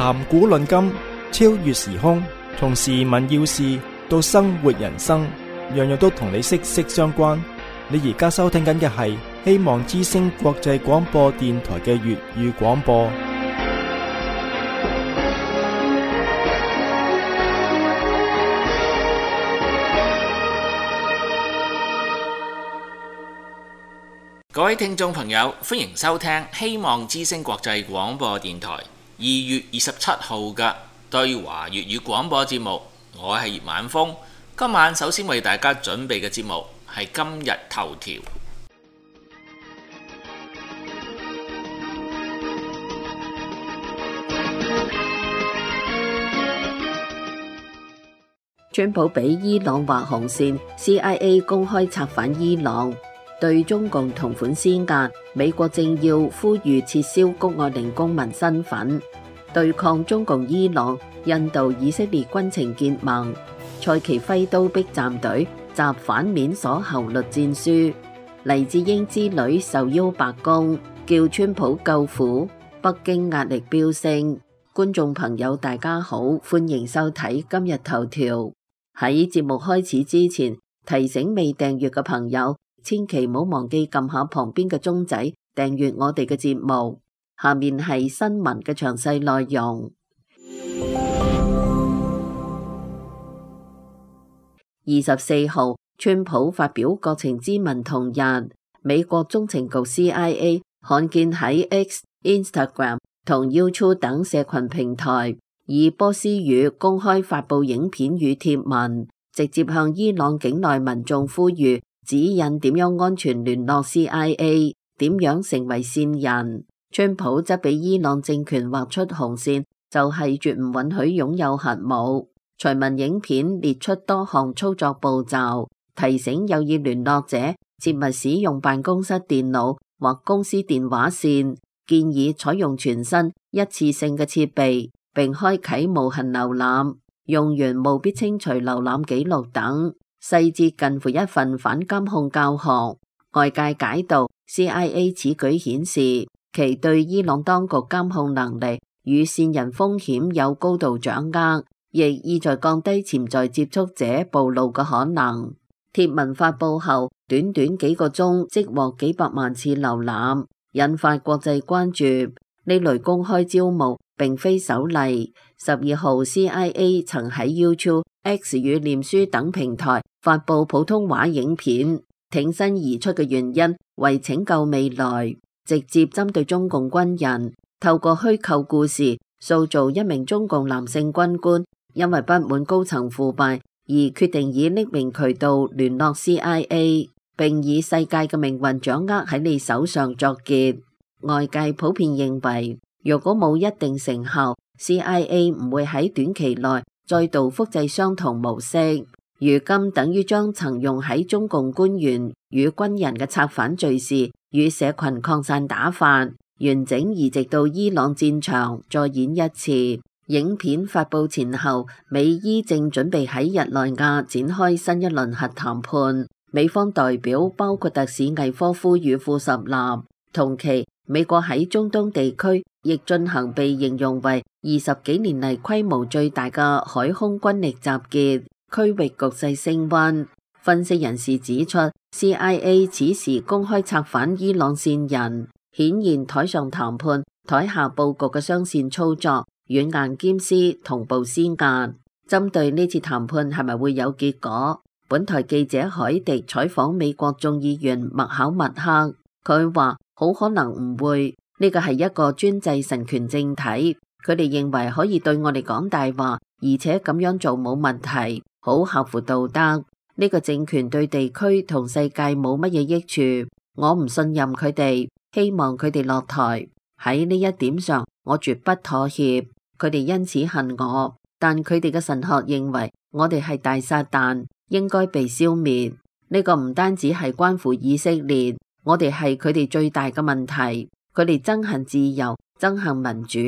談古論今，超越時空，從時聞要事到生活人生，樣樣都同你息息相關。你而家收聽緊嘅係希望之聲國際廣播電台嘅粵語廣播。各位聽眾朋友，歡迎收聽希望之聲國際廣播電台2月27號嘅對華粵語廣播節目。我係葉晚風，今晚首先為大家準備嘅節目係今日頭條。川普俾伊朗劃紅線 ，CIA 公開策反伊朗，對中共同款施壓。美國政要呼籲撤銷谷愛凌公民身份，對抗中共伊朗、印度、以色列軍情結盟。蔡奇揮刀逼站隊，集反面鎖侯律戰書。黎智英之女受邀白宮，叫川普救苦。北京壓力飆升。觀眾朋友大家好，歡迎收睇今日頭條。喺節目開始之前，提醒未訂閱嘅朋友，千祈唔好忘記撳下旁邊嘅鐘仔，訂閱我哋嘅節目。下面係新聞嘅詳細內容。24號，川普發表國情咨文同日，美國中情局 CIA 罕見喺 X、Instagram 同 YouTube 等社群平台以波斯語公開發佈影片與貼文，直接向伊朗境內民眾呼籲指引點樣安全聯絡 CIA， 點樣成為線人。川普則俾伊朗政權畫出紅線，就係絕唔允許擁有核武。隨文影片列出多項操作步驟，提醒有意聯絡者切勿使用辦公室電腦或公司電話線，建議採用全新一次性嘅設備，並開啟無痕瀏覽，用完務必清除瀏覽記錄等，細節近乎一份反監控教學。外界解讀 CIA 此舉顯示其對伊朗當局監控能力與線人風險有高度掌握，亦意在降低潛在接觸者暴露嘅可能。貼文發佈後，短短幾個鐘即獲幾百萬次瀏覽，引發國際關注。呢類公開招募並非首例。12號 CIA 曾喺 YouTube、X 與臉書等平台發佈普通話影片，挺身而出嘅原因為拯救未來，直接針對中共軍人，透過虛構故事塑造一名中共男性軍官因為不滿高層腐敗而決定以匿名渠道聯絡 CIA， 並以世界嘅命運掌握喺你手上作結。外界普遍認為，若果冇一定成效， CIA 唔會喺短期內再度複製相同模式。如今等於將曾用喺中共官員與軍人嘅策反敘事與社群擴散打法，完整移植到伊朗戰場再演一次。影片發佈前後，美伊正準備喺日內瓦展開新一輪核談判，美方代表包括特使魏科夫與庫什納。同期，美國喺中東地區亦進行被形容為20幾年嚟規模最大嘅海空軍力集結，區域局勢升溫。分析人士指出， CIA 此時公開策反伊朗線人，顯然台上談判、台下佈局嘅雙線操作，軟硬兼施，同步施壓。針對呢次談判係咪會有結果，本台記者海迪採訪美國眾議員麥考默克，佢話好可能唔會，呢個係一個專制神權政體，佢哋認為可以對我哋講大話，而且咁樣做冇問題，好合乎道德。呢個政權對地區同世界冇乜嘢益處，我唔信任佢哋，希望佢哋落台。喺呢一點上，我絕不妥協。佢哋因此恨我，但佢哋嘅神學認為我哋係大撒旦，應該被消滅。呢個唔單止係關乎以色列，我哋係佢哋最大嘅問題。佢哋憎恨自由，憎恨民主，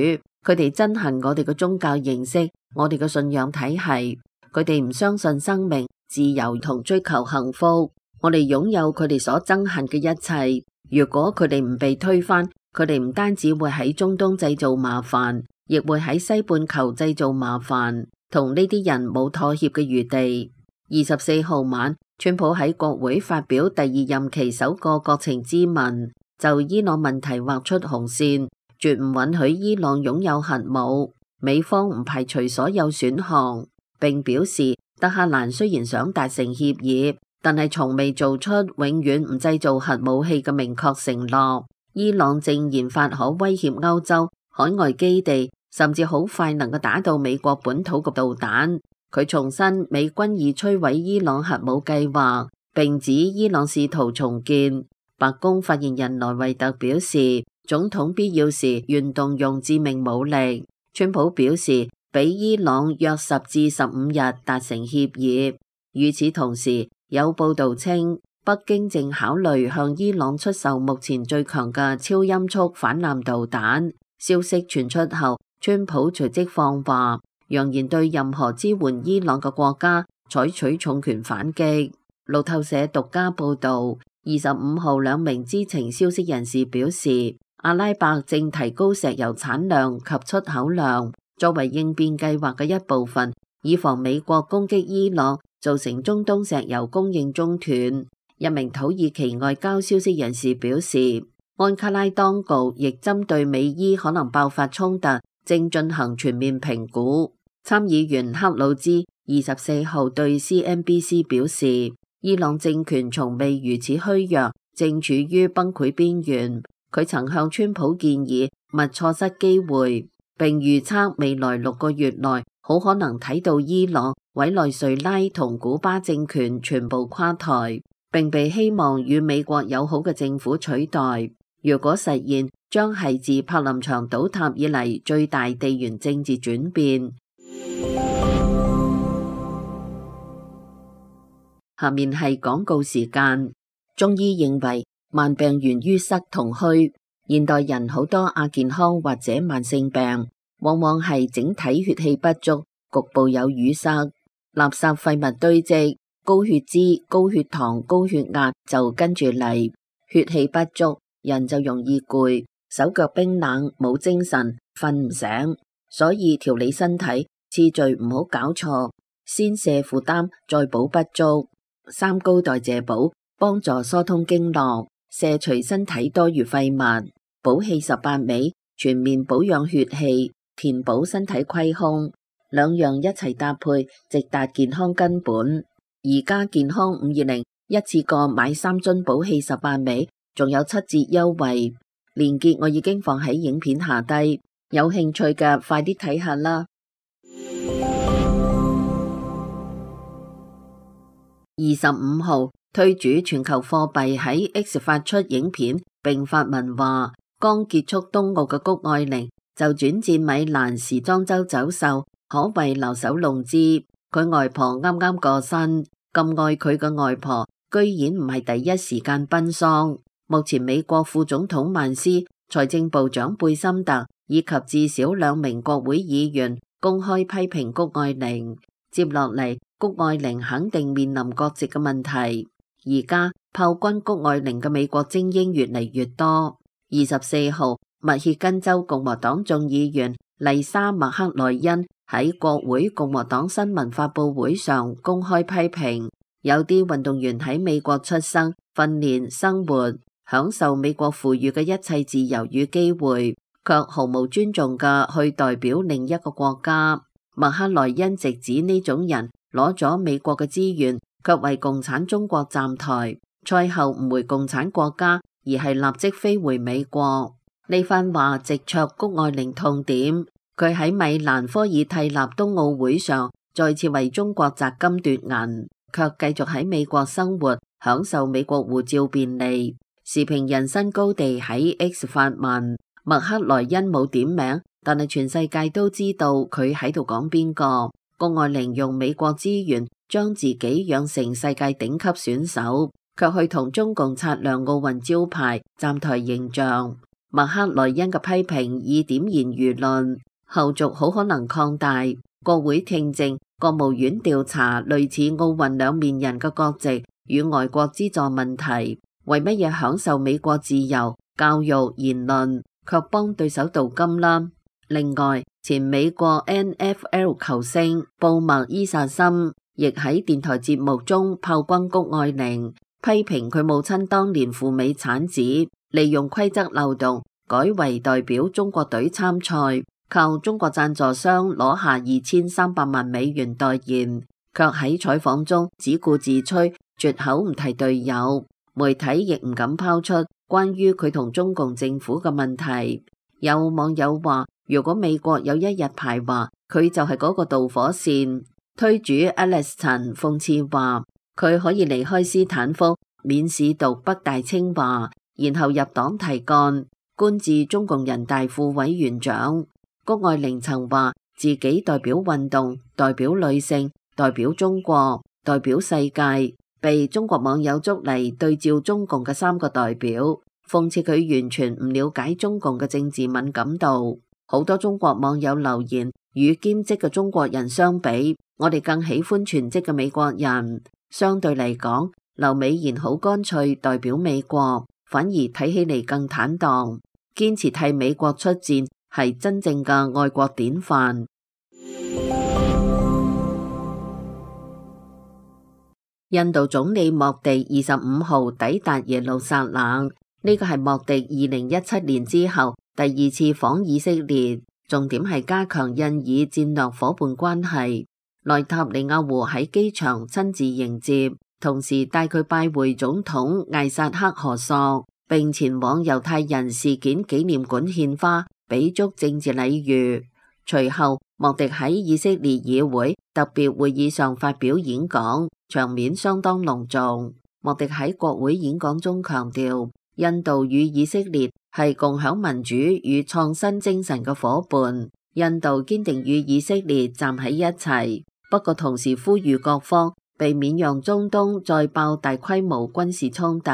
佢哋憎恨我哋嘅宗教形式，我哋嘅信仰體系。佢哋唔相信生命、自由同追求幸福。我哋擁有佢哋所憎恨嘅一切。如果佢哋唔被推翻，佢哋唔單止會喺中東製造麻煩，亦會喺西半球製造麻煩，同呢啲人冇妥協嘅餘地。24號晚，川普喺國會發表第二任期首個國情咨文，就伊朗問題劃出紅線，絕唔允許伊朗擁有核武。美方唔排除所有選項，並表示德黑蘭雖然想達成協議，但係從未做出永遠唔製造核武器嘅明確承諾。伊朗正研發可威脅歐洲海外基地，甚至好快能夠打到美國本土嘅導彈。佢重申美軍已摧毀伊朗核武計劃，並指伊朗試圖重建。白宮發言人萊維特表示，總統必要時願動用致命武力。川普表示，俾伊朗約10至15日達成協議。與此同時，有報道稱，北京正考慮向伊朗出售目前最強嘅超音速反艦導彈。消息傳出後，川普隨即放話，揚言對任何支援伊朗嘅國家採取重拳反擊。路透社獨家報道，25號兩名知情消息人士表示，阿拉伯正提高石油產量及出口量，作為應變計劃嘅一部分，以防美國攻擊伊朗，造成中東石油供應中斷。一名土耳其外交消息人士表示，安卡拉當局亦針對美伊可能爆發衝突，正進行全面評估。參議員克魯茲24號對 CNBC 表示，伊朗政權從未如此虛弱，正處於崩潰邊緣。佢曾向川普建議勿錯失機會，並預測未來6個月內好可能睇到伊朗、委內瑞拉同古巴政權全部垮台，並被希望與美國友好嘅政府取代。如果實現，將係自柏林牆倒塌以嚟最大地緣政治轉變。下面係廣告時間。中醫認為慢病源於塞同虛，現代人好多亞健康或者慢性病，往往係整體血氣不足，局部有淤塞，垃圾廢物堆積，高血脂、高血糖、高血壓就跟住嚟。血氣不足，人就容易攰，手腳冰冷，冇精神，瞓唔醒。所以調理身體次序唔好搞錯，先瀉負擔，再補不足。三高代謝補幫助疏通經絡，瀉除身體多餘廢物。補氣18味全面保養血氣，填補身體虧空，兩樣一齊搭配，直達健康根本。而家健康520一次過買3樽補氣18味，仲有7折優惠，鏈接我已經放喺影片下低，有興趣嘅快啲睇下啦。25號推主全球貨幣喺 X 發出影片並發文話，剛結束冬奧嘅谷愛凌就轉戰米蘭時裝周走秀，可謂留守龍姿。佢外婆啱啱過身，咁愛佢嘅外婆居然唔係第一時間奔喪。目前美國副總統曼斯、財政部長貝森特以及至少2名國會議員公開批評谷愛凌。接落嚟，谷愛凌肯定面臨國籍嘅問題。而家炮轟谷愛凌嘅美國精英越嚟越多。24號，密歇根州共和黨眾議員麗莎麥克萊恩喺國會共和黨新聞發佈會上公開批評，有啲運動員喺美國出生、訓練、生活，享受美國賦予嘅一切自由與機會，卻毫無尊重嘅去代表另一個國家。麥克萊恩直指呢種人攞咗美國嘅資源，卻為共產中國站台，賽後唔回共產國家，而係立即飛回美國。呢番話直戳谷愛凌痛點，佢喺米蘭科爾蒂納冬奧會上再次為中國摘金奪銀，卻繼續喺美國生活，享受美國護照便利。時評人新高地喺 X 發文，麥克萊恩冇點名，但係全世界都知道佢喺度講邊個。谷愛凌用美國資源將自己養成世界頂級選手，卻去同中共擦亮奧運招牌，站台形象。麥克萊恩嘅批評已點燃輿論，後續好可能擴大。國會聽證、國務院調查類似奧運兩面人嘅國籍與外國資助問題，為乜嘢享受美國自由、教育、言論，卻幫對手鍍金啦？另外，前美國 NFL 球星布麥伊薩森亦喺電台節目中炮轟谷愛凌，批評佢母親當年赴美產子，利用規則漏洞改為代表中國隊參賽，靠中國贊助商攞下2300萬美元代言，卻喺採訪中只顧自吹，絕口唔提隊友。媒體亦唔敢拋出關於佢同中共政府嘅問題。有網友話，如果美國有一日排華，佢就係嗰個導火線。推主 Alex 陳諷刺話，佢可以離開斯坦福，免試讀北大清華，然後入黨提幹，官至中共人大副委員長。谷愛凌曾話自己代表運動，代表女性，代表中國，代表世界，被中國網友捉嚟對照中共嘅3個代表，諷刺佢完全唔了解中共嘅政治敏感度。好多中國網友留言，與兼職嘅中國人相比，我哋更喜歡全職嘅美國人。相對嚟講，劉美賢好乾脆代表美國，反而睇起嚟更坦蕩，堅持替美國出戰，係真正嘅愛國典範。印度總理莫迪25號抵達耶路撒冷，呢個係莫迪2017年之後第2次訪以色列，重點係加強印以戰略夥伴關係。內塔尼亞胡喺機場親自迎接，同時帶佢拜會總統艾薩克何索，並前往猶太人事件紀念館獻花，俾足政治禮遇。隨後，莫迪喺以色列議會特別會議上發表演講，場面相當隆重。莫迪喺國會演講中強調，印度與以色列係共享民主與創新精神嘅夥伴，印度堅定與以色列站喺一齊。不過同時呼籲各方避免讓中東再爆大規模軍事衝突。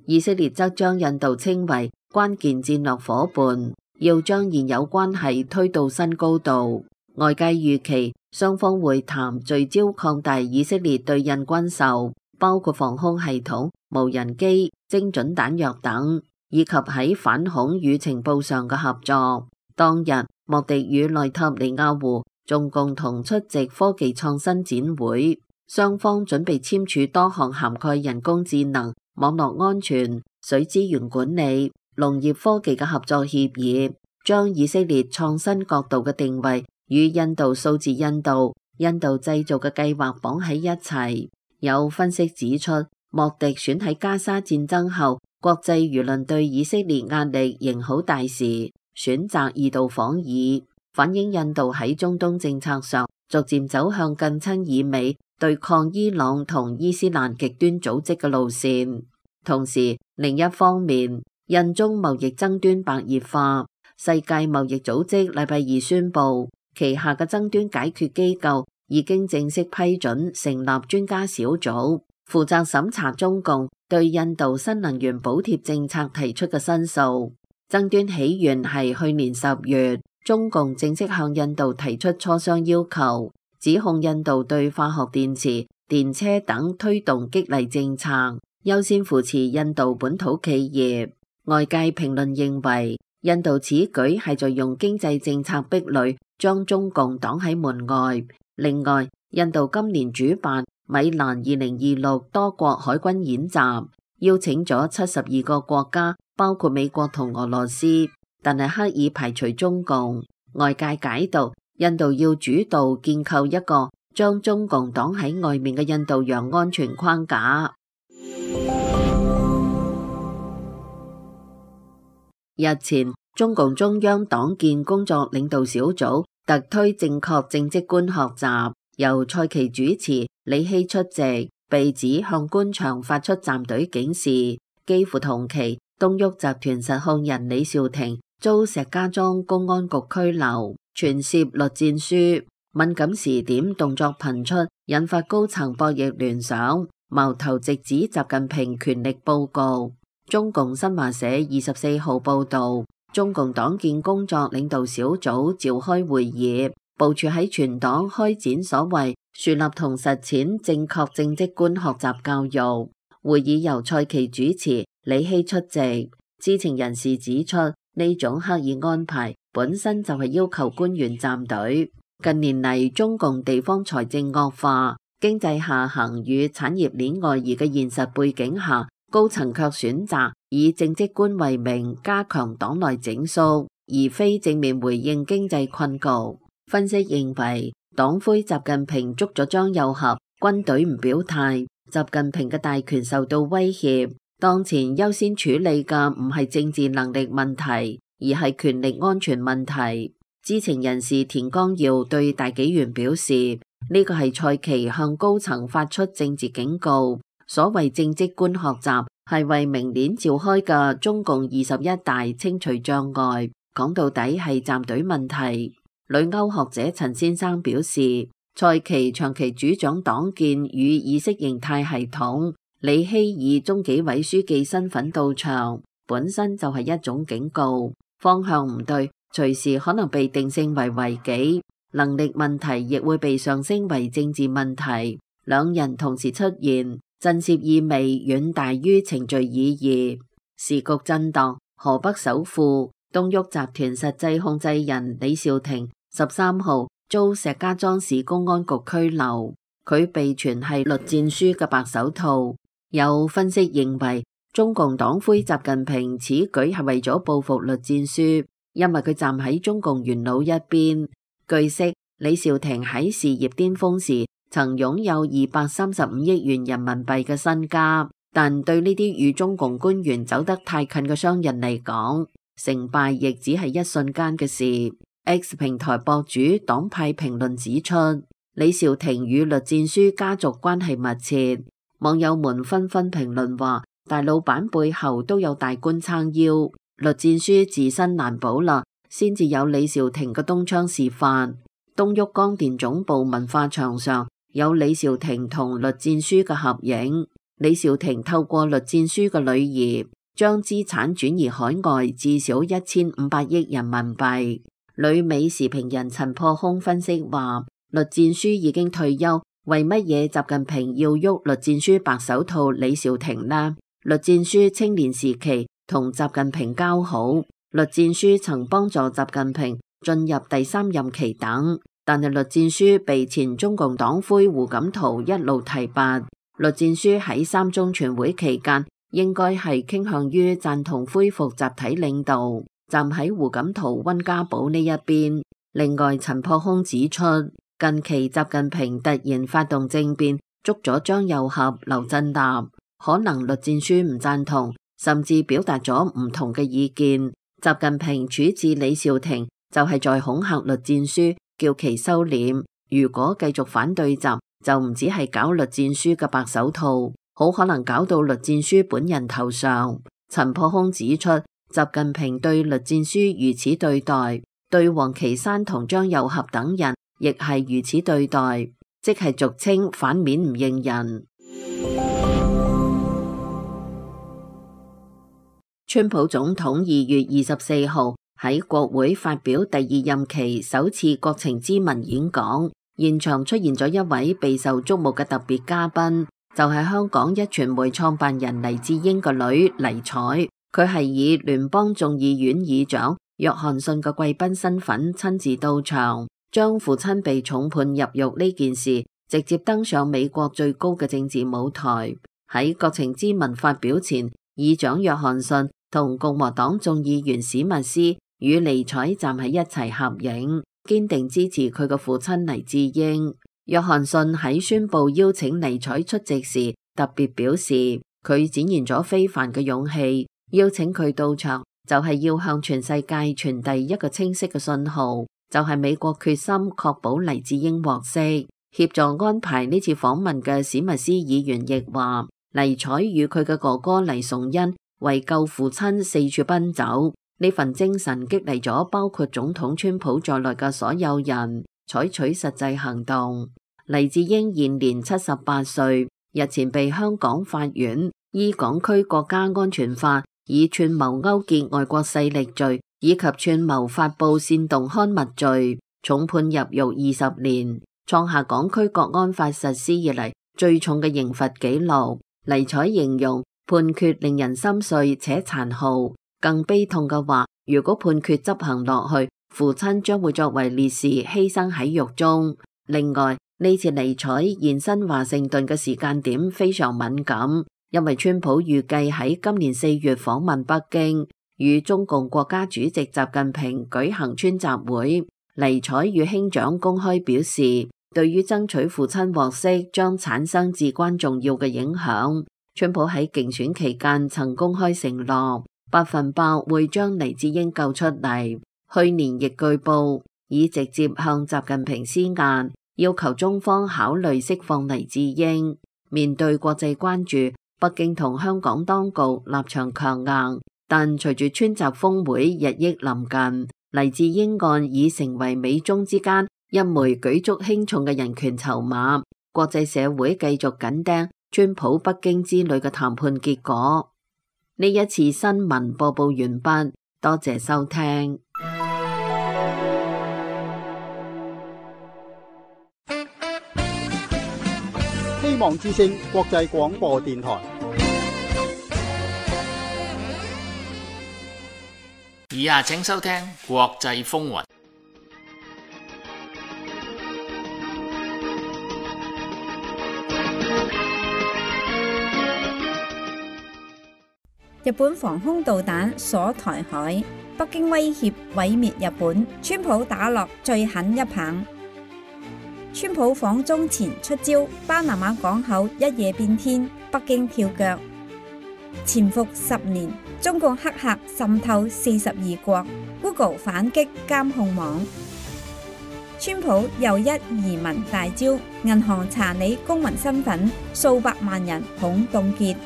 以色列則將印度稱為關鍵戰略夥伴，要將現有關係推到新高度。外界預期雙方會談聚焦擴大以色列對印軍售，包括防空系統、無人機、精準彈藥等，以及喺反恐與情報上嘅合作。當日，莫迪與內塔尼亞胡仲共同出席科技創新展會，雙方準備簽署多項涵蓋人工智能、網絡安全、水資源管理、農業科技嘅合作協議，將以色列創新角度嘅定位與印度數字印度製造嘅計劃綁喺一齊。有分析指出，莫迪選喺加沙戰爭後，國際輿論對以色列壓力仍好大時，選擇2度訪以，反映印度喺中東政策上逐漸走向近親以美、對抗伊朗同伊斯蘭極端組織嘅路線。同時，另一方面，印中貿易爭端白熱化，世界貿易組織禮拜2宣布，旗下嘅爭端解決機構已經正式批准成立專家小組，負責審查中共對印度新能源補貼政策提出嘅申訴。爭端起源係去年10月，中共正式向印度提出磋商要求，指控印度對化學電池、電車等推動激勵政策，優先扶持印度本土企業。外界評論認為，印度此舉係在用經濟政策壁壘將中共擋喺門外。另外，印度今年主辦米蘭2026多國海軍演習，邀請咗72個國家，包括美國同俄羅斯，但係刻意排除中共。外界解讀，印度要主導建構一個將中共擋喺外面嘅印度洋安全框架。日前，中共中央黨建工作領導小組特推正確政績觀學習，由蔡奇主持，李希出席，被指向官場發出站隊警示。幾乎同期，東旭集團實控人李兆廷遭石家莊公安局拘留，傳涉栗戰書。敏感時點動作頻出，引發高層博弈聯想，矛頭直指習近平權力佈局。中共新華社24號報道，中共黨建工作領導小組召開會議，部署喺全黨開展所謂樹立同實踐正確政績觀學習教育。會議由蔡奇主持，李希出席。知情人士指出，呢種刻意安排本身就係要求官員站隊。近年嚟，中共地方財政惡化、經濟下行與產業鏈外移嘅現實背景下，高層卻選擇以政績官為名加強黨內整肅，而非正面回應經濟困局。分析認為，黨魁習近平捉咗張又俠，軍隊唔表態，習近平嘅大權受到威脅。當前優先處理嘅唔係政治能力問題，而係權力安全問題。知情人士田光耀對大紀元表示，呢個係蔡奇向高層發出政治警告。所謂政績官學習係為明年召開嘅中共21大清除障礙，講到底係站隊問題。旅歐學者陳先生表示，蔡奇長期主掌黨建與意識形態系統，李希以中紀委書記身份到場，本身就係一種警告，方向唔對，隨時可能被定性為違紀，能力問題亦會被上升為政治問題。兩人同時出現，震懾意味遠大於程序意義。時局震盪，河北首富東沃集團實際控制人李兆廷13號遭石家莊市公安局拘留，佢被傳係栗戰書嘅白手套。有分析認為，中共黨魁習近平此舉係為咗報復栗戰書，因為佢站喺中共元老一邊。據悉，李兆廷喺事業巔峰時曾擁有235億元人民幣嘅身家，但對呢啲與中共官員走得太近嘅商人嚟講，成敗亦只係一瞬間嘅事。X 平台博主黨派評論指出，李兆廷與栗戰書家族關係密切，網友們紛紛評論話，大老闆背後都有大官撐腰，栗戰書自身難保啦，先至有李兆廷嘅東窗事發。東沃光電總部文化牆上有李兆廷同栗戰書嘅合影，李兆廷透過栗戰書嘅女兒將資產轉移海外至少1500億人民幣。旅美時評人陳破空分析話，栗戰書已經退休，為乜嘢習近平要喐栗戰書白手套李兆廷呢？栗戰書青年時期同習近平交好，栗戰書曾幫助習近平進入第3任期等，但係栗戰書被前中共黨魁胡錦濤一路提拔。栗戰書喺3中全會期間應該係傾向於贊同恢復集體領導，站喺胡錦濤溫家寶呢一邊。另外，陳破空指出，近期習近平突然發動政變，捉咗張又俠、劉振立，可能栗戰書唔贊同，甚至表達咗唔同嘅意見。習近平處置李兆廷就係在恐嚇栗戰書，叫其收斂。如果繼續反對習，就唔止係搞栗戰書嘅白手套，好可能搞到栗戰書本人頭上。陳破空指出，習近平對栗戰書如此對待，對王岐山同張又俠等人亦係如此對待，即係俗稱反面唔認人。川普總統2月24號喺國會發表第2任期首次國情咨文演講，現場出現咗一位備受矚目嘅特別嘉賓，就係香港壹傳媒創辦人黎智英個女黎采。佢係以聯邦眾議院議長約翰遜嘅貴賓身份親自到場，將父親被重判入獄呢件事直接登上美國最高嘅政治舞台。喺國情咨文發表前，議長約翰遜同共和黨眾議員史密斯與尼采站喺一齊合影，堅定支持佢嘅父親黎智英。約翰遜喺宣布邀請尼采出席時，特別表示佢展現咗非凡嘅勇氣，邀請佢到場就係要向全世界傳遞一個清晰嘅信號，就係美國決心確保黎智英獲釋。協助安排呢次訪問嘅史密斯議員亦話，尼采與佢嘅哥哥黎崇恩為救父親四處奔走，呢份精神激勵咗包括總統川普在內嘅所有人採取實際行動。黎智英現年78歲，日前被香港法院依港區國家安全法以串謀勾結外國勢力罪以及串謀發布煽動刊物罪重判入獄20年，創下港區國安法實施以嚟最重嘅刑罰紀錄。尼采形容判決令人心碎且殘酷，更悲痛嘅話，如果判決執行落去，父親將會作為烈士犧牲喺獄中。另外，呢次尼采現身華盛頓嘅時間點非常敏感，因為川普預計喺今年4月訪問北京，與中共國家主席習近平舉行川習會。尼采與兄長公開表示，對於爭取父親獲釋將產生至關重要嘅影響。川普喺競選期間曾公開承諾100%會將黎智英救出嚟。去年亦據報已直接向習近平施壓，要求中方考慮釋放黎智英。面對國際關注，北京同香港當局立場強硬，但隨住川習峰會日益臨近，黎智英案已成為美中之間一枚舉足輕重嘅人權籌碼。國際社會繼續緊盯川普北京之旅嘅談判結果。呢一次新聞播報完畢，多謝收聽。希望之聲國際廣播電台。以下請收聽國際風雲。日本防空導彈鎖台海，北京威脅毀滅日本，川普打落最狠一棒。川普訪中前出招，巴拿馬港口一夜變天，北京跳腳。潛伏10年，中共黑客滲透42國 ，Google 反擊監控網。川普又一移民大招，銀行查你公民身份，數百萬人恐凍結。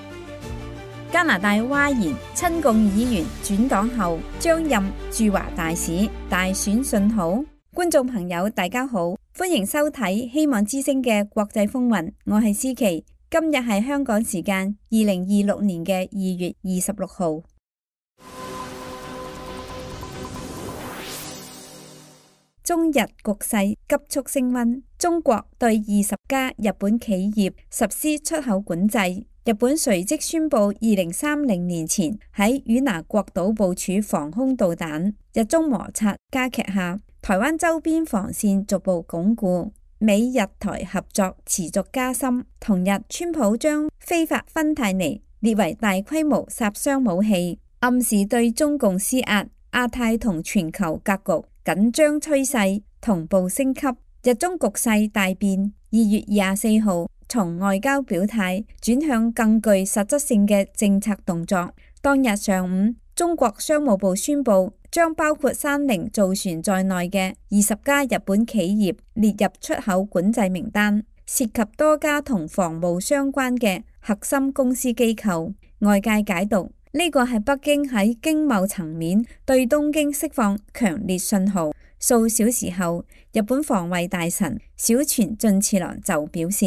加拿大嘩然，親共議員轉黨後將任駐華大使，大選信號。觀眾朋友大家好，歡迎收睇希望之聲嘅國際風雲，我係思琪。今日係香港時間2026年嘅2月26號。中日局勢急速升溫，中國對20家日本企業實施出口管制。日本隨即宣布2030年前喺與那國島部署防空導彈。日中摩擦加劇下，台灣周邊防線逐步鞏固，美日台合作持續加深。同日，川普將非法芬太尼列為大規模殺傷武器，暗示對中共施壓。亞太同全球格局緊張趨勢同步升級，日中局勢大變。2月24號，從外交表態轉向更具實質性嘅政策動作。當日上午，中國商務部宣布將包括三菱造船在內嘅20家日本企業列入出口管制名單，涉及多家同防務相關嘅核心公司機構。外界解讀呢個係北京喺經貿層面對東京釋放強烈信號。數小時後，日本防衛大臣小泉進次郎就表示，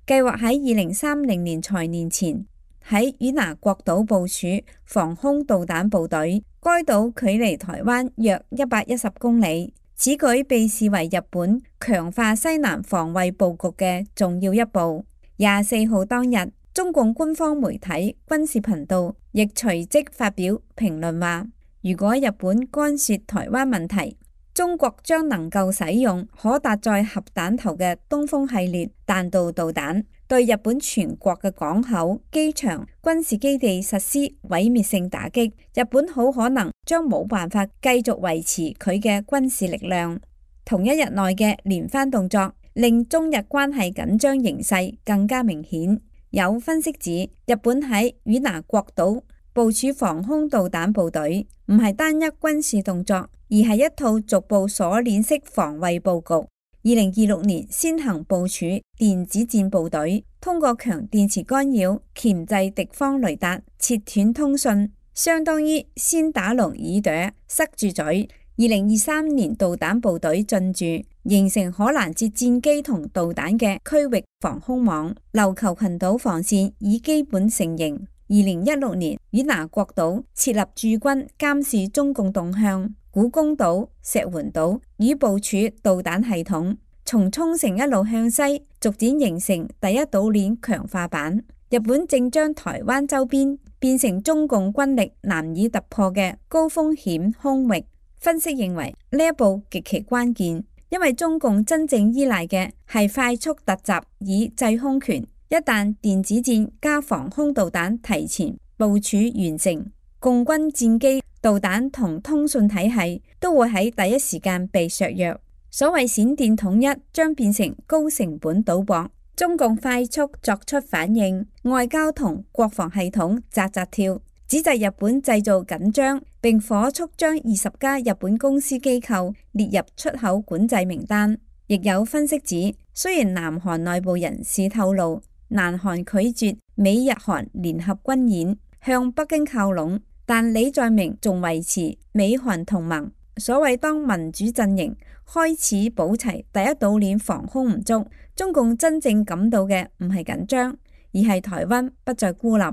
計劃喺2030年財年前喺與那國島部署防空導彈部隊。該島距離台灣約110公里。此舉被視為日本強化西南防衛佈局嘅重要一步。24號當日，中共官方媒體軍事頻道亦隨即發表評論話，如果日本干涉台灣問題，中國將能夠使用可搭載核彈頭嘅東風系列彈道導彈，對日本全國嘅港口、機場、軍事基地實施毀滅性打擊。日本好可能將冇辦法繼續維持佢嘅軍事力量。同一日內嘅連番動作，令中日關係緊張形勢更加明顯。有分析指，日本喺與那國島部署防空導彈部隊，唔係單一軍事動作，而係一套逐步鎖鏈式防衛佈局。2026年先行部署電子戰部隊，通過強電磁干擾鉗制敵方雷達，切斷通訊，相當於先打聾耳朵，塞住嘴。2023年導彈部隊進駐，形成可攔截戰機同導彈嘅區域防空網，琉球群島防線已基本成形。2016年，與那國島設立駐軍監視中共動向，古公島、石垣島已部署導彈系統，從沖繩一路向西，逐漸形成第一島鏈強化版。日本正將台灣周邊變成中共軍力難以突破嘅高風險空域，分析認為呢一步極其關鍵，因為中共真正依賴嘅係快速突襲以制空權。一旦電子戰加防空導彈提前部署完成，共軍戰機、導彈同通訊體系都會喺第一時間被削弱。所謂閃電統一將變成高成本賭博。中共快速作出反應，外交同國防系統扎扎跳，指責日本製造緊張，並火速將20家日本公司機構列入出口管制名單。亦有分析指，雖然南韓內部人士透露，南韓拒絕美日韓聯合軍演，向北京靠攏，但李在明仲維持美韓同盟。所謂當民主陣營開始補齊第一島鏈防空唔足，中共真正感到嘅唔係緊張，而係台灣不再孤立。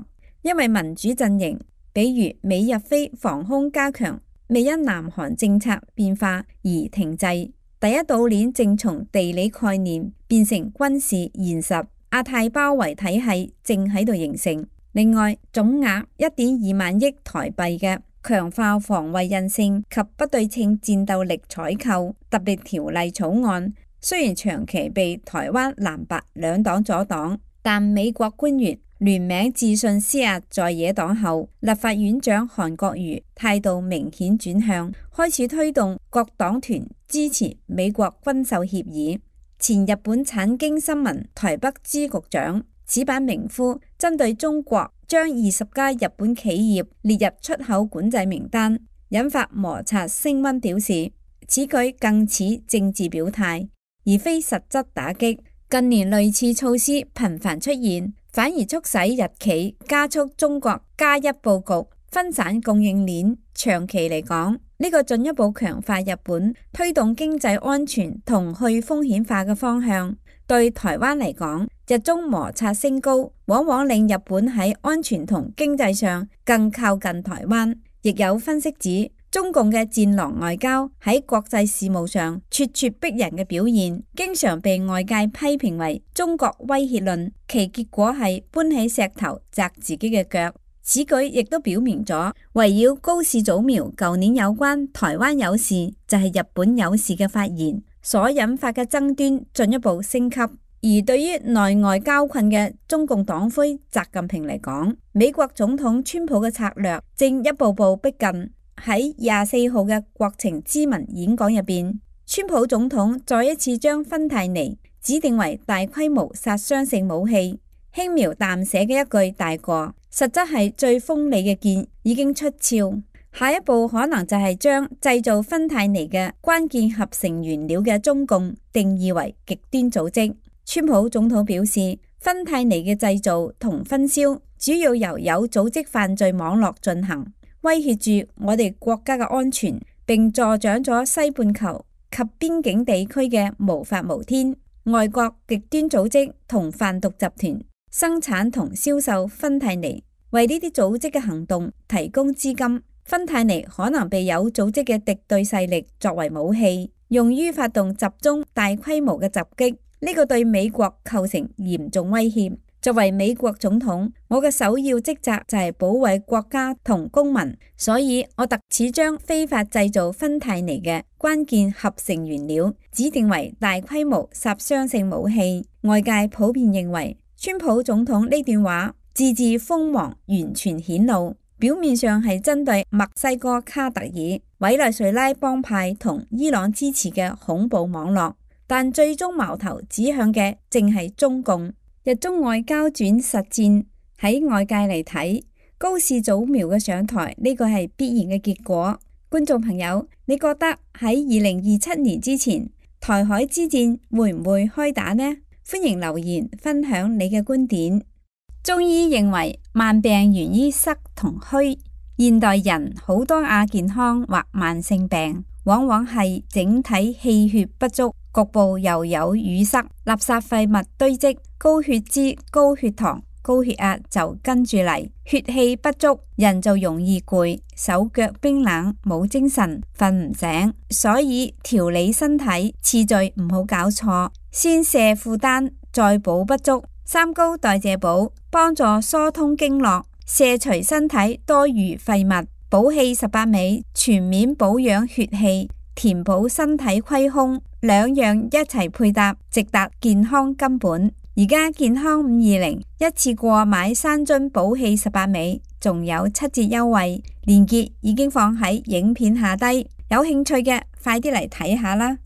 因為民主陣營，比如美日菲防空加強，未因南韓政策變化而停滯。第一島鏈正從地理概念變成軍事現實，亞太包圍體系正喺度形成。另外，總額1.2萬億台幣嘅強化防衛韌性及不對稱戰鬥力採購特別條例草案，雖然長期被台灣藍白兩黨阻擋，但美國官員聯名致信施壓在野黨後，立法院長韓國瑜態度明顯轉向，開始推動各黨團支持美國軍售協議。前日本產經新聞台北支局長此版明夫針對中國將20家日本企業列入出口管制名單，引發摩擦升溫，表示此舉更似政治表態，而非實質打擊。近年類似措施頻繁出現，反而促使日企加速中國加一佈局，分散供應鏈。長期嚟講，呢個進一步強化日本推動經濟安全同去風險化嘅方向。對台灣嚟講，日中摩擦升高，往往令日本喺安全同經濟上更靠近台灣。亦有分析指，中共嘅戰狼外交喺國際事務上咄咄逼人嘅表現，經常被外界批評為中國威脅論，其結果係搬起石頭砸自己嘅腳。此舉亦都表明咗，圍繞高市早苗舊年有關台灣有事就係日本有事嘅發言所引發嘅爭端進一步升級。而對於內外交困嘅中共黨魁習近平嚟講，美國總統川普嘅策略正一步步逼近。喺24號嘅國情咨文演講入邊，川普總統再一次將芬太尼指定為大規模殺傷性武器，輕描淡寫嘅一句大過，實質係最鋒利嘅劍已經出鞘。下一步可能就係將製造芬太尼嘅關鍵合成原料嘅中共定義為極端組織。川普總統表示，芬太尼嘅製造同分銷主要由有組織犯罪網絡進行，威脅住我哋國家嘅安全，並助長咗西半球及邊境地區嘅無法無天。外國極端組織同販毒集團生產同銷售芬太尼，為呢啲組織嘅行動提供資金。芬太尼可能被有組織嘅敵對勢力作為武器，用於發動集中大規模嘅襲擊。呢個對美國構成嚴重威脅。作為美國總統，我嘅首要職責就係保衛國家同公民，所以我特此將非法製造芬太尼嘅關鍵合成原料指定為大規模殺傷性武器。外界普遍認為，川普總統呢段話字字鋒芒完全顯露，表面上係針對墨西哥卡特爾、委內瑞拉幫派同伊朗支持嘅恐怖網絡，但最終矛頭指向嘅正係中共。日中外交轉實戰，喺外界嚟睇，高市早苗嘅上台呢個係必然嘅結果。觀眾朋友，你覺得喺2027年之前，台海之戰會唔會開打呢？歡迎留言分享你嘅觀點。中醫認為慢病源於濕同虛，現代人好多亞健康或慢性病，往往係整體氣血不足，局部又有淤塞，垃圾廢物堆積，高血脂、高血糖、高血壓就跟住嚟，血氣不足，人就容易攰，手腳冰冷，冇精神，瞓唔醒。所以調理身體次序唔好搞錯，先卸負擔，再補不足。三高代謝補幫助疏通經絡，卸除身體多餘廢物。補氣18味，全面保養血氣，填補身體虧空，兩樣一齊配搭，直達健康根本。而家健康520一次過買3樽補氣18味，仲有7折優惠，鏈接已經放喺影片下低，有興趣嘅快啲嚟睇下啦。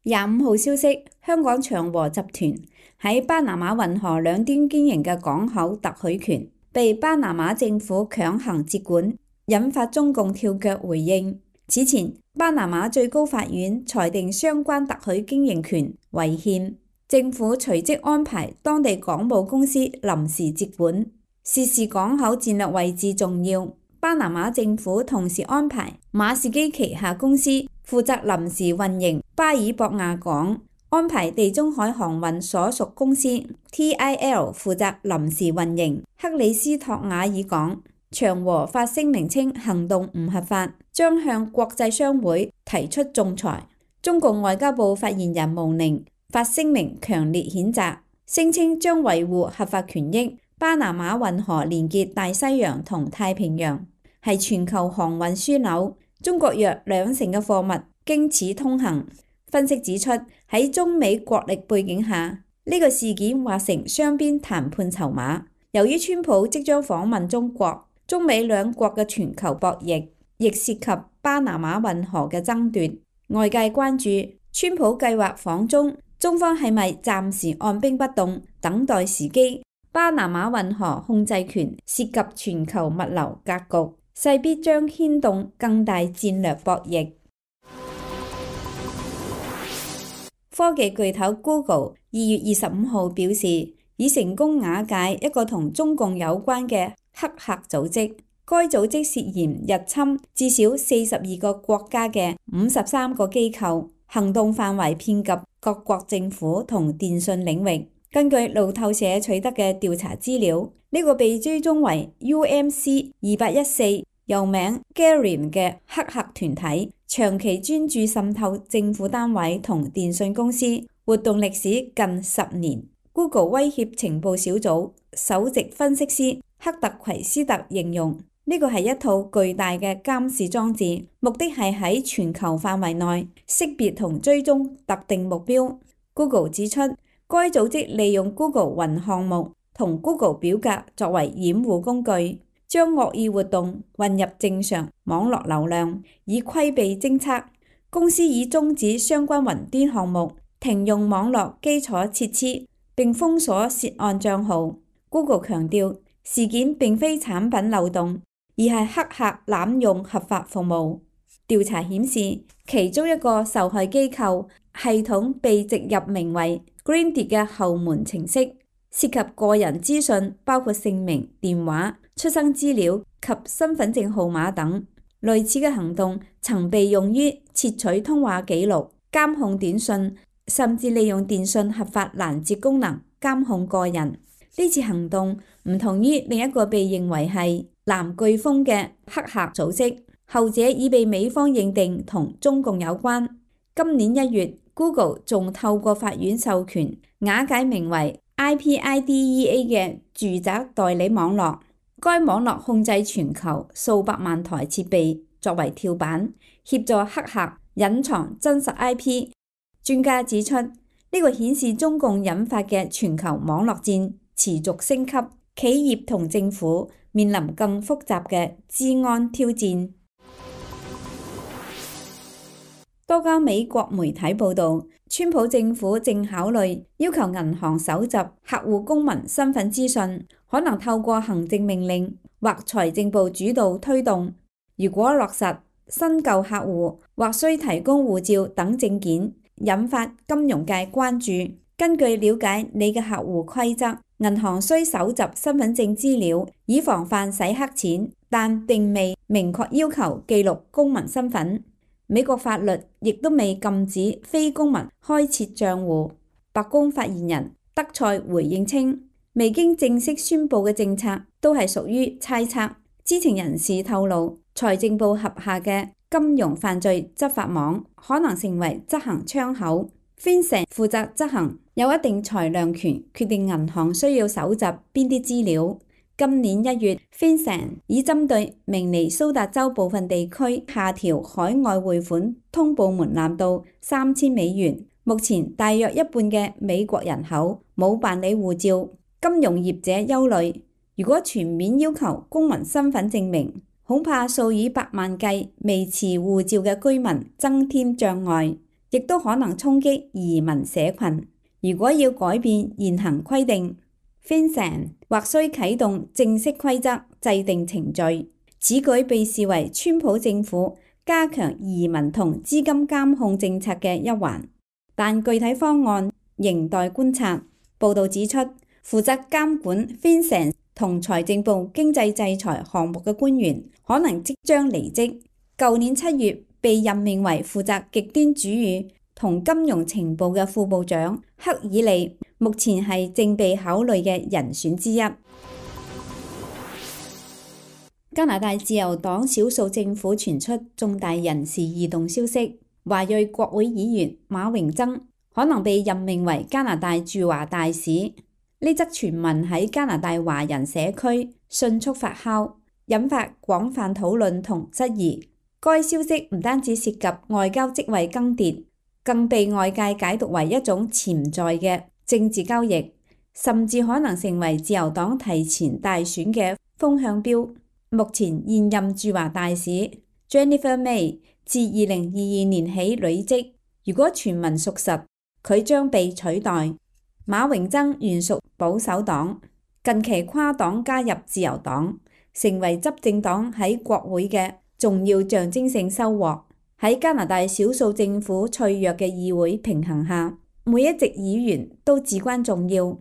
25號消息，香港長和集團喺巴拿馬運河兩端經營嘅港口特許權被巴拿馬政府強行接管，引發中共跳腳回應。此前，巴拿馬最高法院裁定相關特許經營權違憲，政府隨即安排當地港務公司臨時接管。涉事港口戰略位置重要，巴拿馬政府同時安排馬士基旗下公司負責臨時運營巴爾博亞港，安排地中海航運所屬公司 TIL 負責臨時運營克里斯托瓦爾港。長和發聲明稱行動唔合法，將向國際商會提出仲裁。中共外交部發言人毛寧發聲明強烈譴責，聲稱將維護合法權益。巴拿馬運河連結大西洋同太平洋，係全球航運樞紐，中國約20%嘅貨物經此通行。分析指出，喺中美國力背景下，呢個事件化成雙邊談判籌碼。由於川普即將訪問中國，中美兩國嘅全球博弈亦涉及巴拿馬運河嘅爭奪。外界關注川普計劃訪中，中方係咪暫時按兵不動，等待時機？巴拿馬運河控制權涉及全球物流格局，勢必將牽動更大戰略博弈。科技巨頭 Google 2月25號表示，已成功瓦解一個同中共有關嘅黑客組織，該組織涉嫌入侵至少42個國家嘅53個機構，行動範圍遍及各國政府同電信領域。根據路透社取得嘅調查資料，呢個被追蹤為 UMC 2814又名 Garian 嘅黑客團體，長期專注滲透政府單位同電信公司，活動歷史近10年。Google 威脅情報小組首席分析師克特奎斯特形容呢個係一套巨大嘅監視裝置，目的係喺全球範圍內識別同追蹤特定目標。Google 指出，該組織利用 Google 雲項目同 Google 表格作為掩護工具，將惡意活動混入正常網絡流量，以規避偵測。公司已終止相關雲端項目，停用網絡基礎設施，並封鎖涉案帳號。Google 強調，事件並非產品漏洞，而係黑客濫用合法服務。調查顯示，其中一個受害機構系統被植入名為 Grindr 嘅後門程式，涉及個人資訊，包括姓名、電話、出生資料及身份證號碼等。類似嘅行動曾被用於竊取通話記錄、監控短信，甚至利用電信合法攔截功能監控個人。呢次行動唔同於另一個被認為係藍颶風嘅黑客組織，後者已被美方認定同中共有關。今年1月，Google 仲透過法院授權瓦解名為 IPIDEA 嘅住宅代理網絡，該網絡控制全球數百萬台設備作為跳板，協助黑客隱藏真實 IP。專家指出，呢個顯示中共引發嘅全球網絡戰持續升級，企業同政府面臨更複雜嘅資安挑戰。多家美國媒體報道，川普政府正考慮要求銀行搜集客戶公民身份資訊，可能透過行政命令或財政部主導推動。如果落實，新舊客戶或需提供護照等證件，引發金融界關注。根據了解你嘅客戶規則，銀行需搜集身份證資料，以防範洗黑錢，但並未明確要求記錄公民身份。美國法律亦都未禁止非公民開設賬戶。白宮發言人德賽回應稱，未經正式宣布嘅政策都係屬於猜測。知情人士透露，財政部轄下嘅金融犯罪執法網可能成為執行窗口。FinCEN 負責執行，有一定裁量權，決定銀行需要搜集邊啲資料。今年1月 FinCEN 已針對明尼蘇達州部分地區下調海外匯款通報門檻到$3000。目前大約一半嘅美國人口冇辦理護照，金融業者憂慮，如果全面要求公民身份證明，恐怕數以百萬計未持護照嘅居民增添障礙，亦都可能衝擊移民社群。如果要改變現行規定，FinCEN 或需啟動正式規則制定程序，此舉被視為川普政府加強移民同資金監控政策嘅一環，但具體方案仍待觀察。報道指出，負責監管 FinCEN 同財政部經濟制裁項目嘅官員可能即將離職。舊年7月被任命為負責極端主義同金融情報嘅副部長克爾利，目前係正被考慮嘅人選之一。加拿大自由黨少數政府傳出重大人事異動消息，華裔國會議員馬榮曾可能被任命為加拿大駐華大使。呢則傳聞喺加拿大華人社區迅速發酵，引發廣泛討論同質疑。該消息唔單止涉及外交職位更迭，更被外界解讀為一種潛在嘅政治交易，甚至可能成為自由黨提前大選嘅風向標。目前現任駐華大使 Jennifer May 自2022年起履職，如果傳聞屬實，佢將被取代。馬榮曾原屬保守黨，近期跨黨加入自由黨，成為執政黨喺國會嘅重要象徵性收穫。喺加拿大少數政府脆弱嘅議會平衡下，每一席議員都至關重要。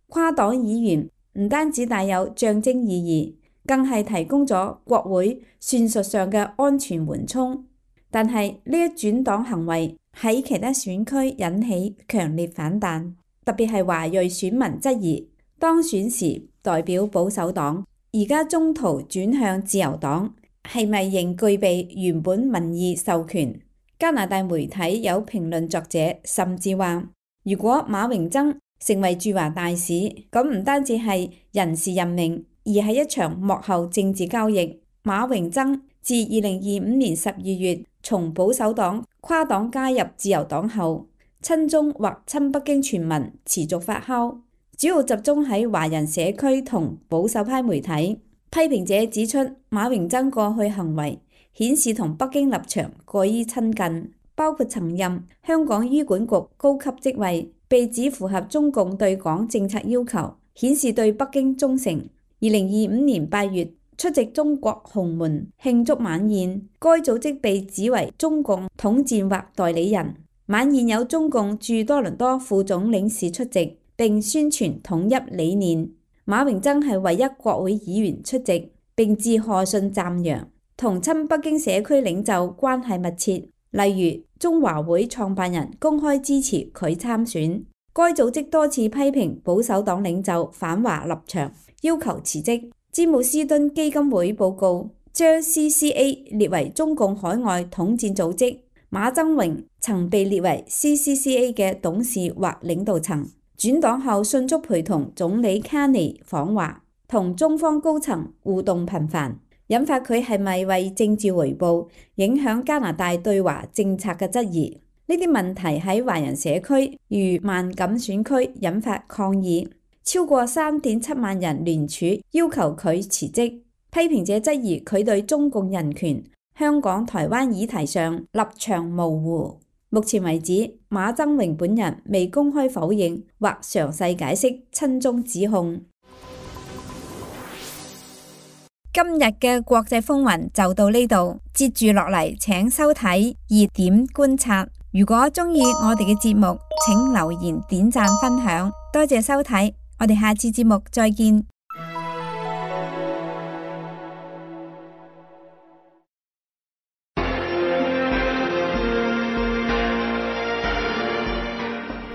跨黨議員唔單止帶有象徵意義，更係提供咗國會算術上嘅安全緩衝。但係呢一轉黨行為喺其他選區引起強烈反彈，特別係華裔選民質疑當選時代表保守黨，而家中途轉向自由黨，係咪仍具備原本民意授權？加拿大媒體有評論作者甚至話，如果馬榮曾成為駐華大使，咁唔單止係人事任命，而係一場幕後政治交易。馬榮曾自2025年12月從保守黨跨黨加入自由黨後，親中或親北京傳聞持續發酵，主要集中喺華人社區同保守派媒體。批評者指出，馬榮曾過去行為顯示同北京立場過於親近，包括曾任香港醫管局高級職位，被指符合中共對港政策要求，顯示對北京忠誠。2025年8月出席中國鴻門慶祝晚宴，該組織被指為中共統戰或代理人。晚宴有中共駐多倫多副總領事出席，並宣傳統一理念。馬榮曾係唯一國會議員出席，並致賀信讚揚，同親北京社區領袖關係密切。例如中華會創辦人公開支持佢參選。該組織多次批評保守黨領袖反華立場，要求辭職。詹姆斯敦基金會報告將 CCA 列為中共海外統戰組織。馬曾榮曾被列為 CCCA 嘅董事或領導層，轉黨後迅速陪同總理卡尼訪華，同中方高層互動頻繁，引發佢係咪為政治回報影響加拿大對華政策嘅質疑。呢啲問題喺華人社區如萬錦選區引發抗議，超過3.7萬人聯署要求佢辭職。批評者質疑佢對中共人權、香港、台灣議題上立場模糊。目前為止，馬曾榮本人未公開否認或詳細解釋親中指控。今日嘅國際風雲就到呢度，接住落嚟請收睇熱點觀察。如果中意我哋嘅節目，請留言、點讚、分享。多謝收睇，我哋下次節目再見。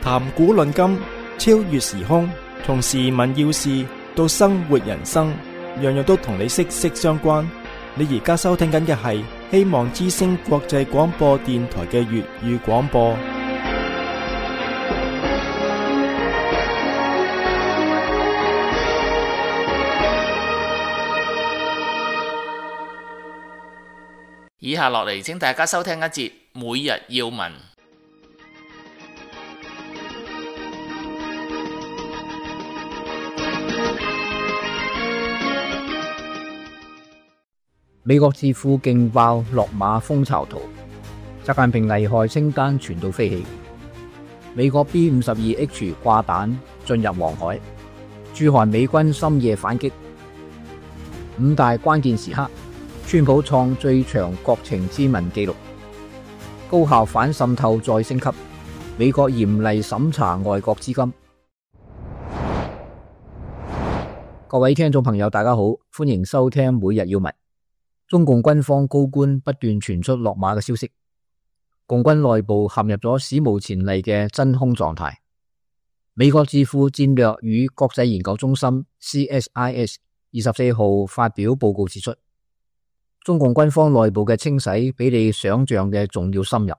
談古論今，超越時空，從時聞要事到生活人生，樣樣都同你息息相關。你而家收聽緊嘅係希望之聲國際廣播電台嘅粵語廣播。以下落嚟，請大家收聽一節每日要聞。美國智庫勁爆落馬蜂巢圖，習近平危害清單傳到飛起。美國 B-52H 掛彈進入黃海，駐韓美軍深夜反擊。五大關鍵時刻，川普創最長國情咨文紀錄。高校反滲透再升級，美國嚴厲審查外國資金。各位聽眾朋友大家好，歡迎收聽每日要聞。中共軍方高官不斷傳出落馬嘅消息，共軍內部陷入咗史無前例嘅真空狀態。美國智庫戰略與國際研究中心 CSIS 24號發表報告指出，中共軍方內部嘅清洗比你想象嘅仲要深入，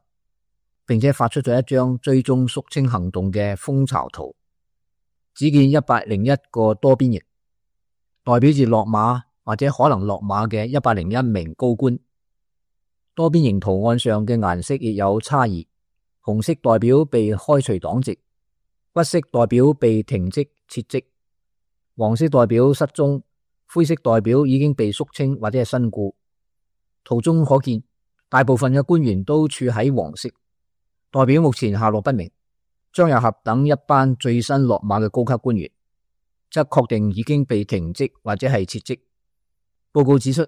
並且發出咗一張追蹤肅清行動嘅蜂巢圖。只見101個多邊形，代表住落馬或者可能落馬嘅101名高官。多邊形圖案上嘅顏色亦有差異，紅色代表被開除黨籍，橘色代表被停職撤職，黃色代表失蹤，灰色代表已經被肅清或者係身故。圖中可見，大部分嘅官員都處喺黃色，代表目前下落不明。張又俠等一班最新落馬嘅高級官員，則確定已經被停職或者係撤職。報告指出，